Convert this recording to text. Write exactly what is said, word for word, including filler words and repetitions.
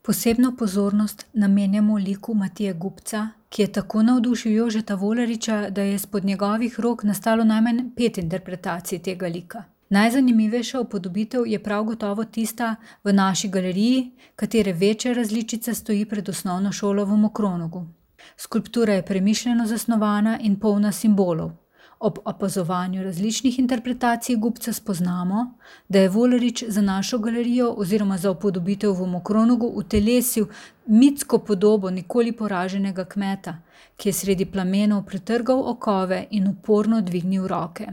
Posebno pozornost namenjamo liku Matije Gubca, ki je tako navdušil Jožeta Volariča, da je izpod njegovih rok nastalo najmanj pet interpretacij tega lika. Najzanimivejša upodobitev je prav gotovo tista v naši galeriji, katere večja različica stoji pred osnovno šolo v Mokronogu. Skulptura je premišljeno zasnovana in polna simbolov. Ob opazovanju različnih interpretacij Gubca spoznamo, da je Volarič za našo galerijo oziroma za upodobitev v Mokronogu utelesil mitsko podobo nikoli poraženega kmeta, ki je sredi plamenov pretrgal okove in uporno dvignil roke.